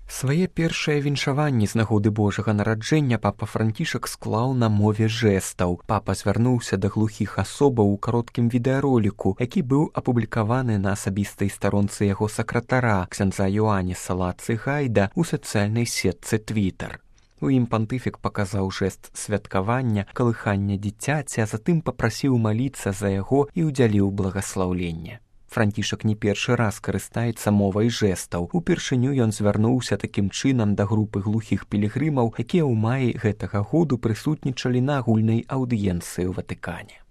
Свае першыя віншаванні з нагоды Божага нараджэння папа Францішак склаў на мове жэстаў. Папа звярнуўся да глухіх асобаў у кароткім відэароліку, які быў апублікаваны на асабістай старонцы яго сакратара, ксяндза Йоаніса Лацыгайда, у сацыяльнай сетцы Твітар. У ім пантыфік паказаў жэст святкавання, калыхання дзіцяці, а затым папрасіў маліцца за яго і ўдзяліў благаслаўленне. Францішак не першы раз карыстаецца мовай жэстаў. Упершыню ён звярнуўся такім чынам да групы глухіх пілігрымаў, якія ў маі гэтага году прысутнічалі на агульнай аўдыенцыі ў Ватыкане.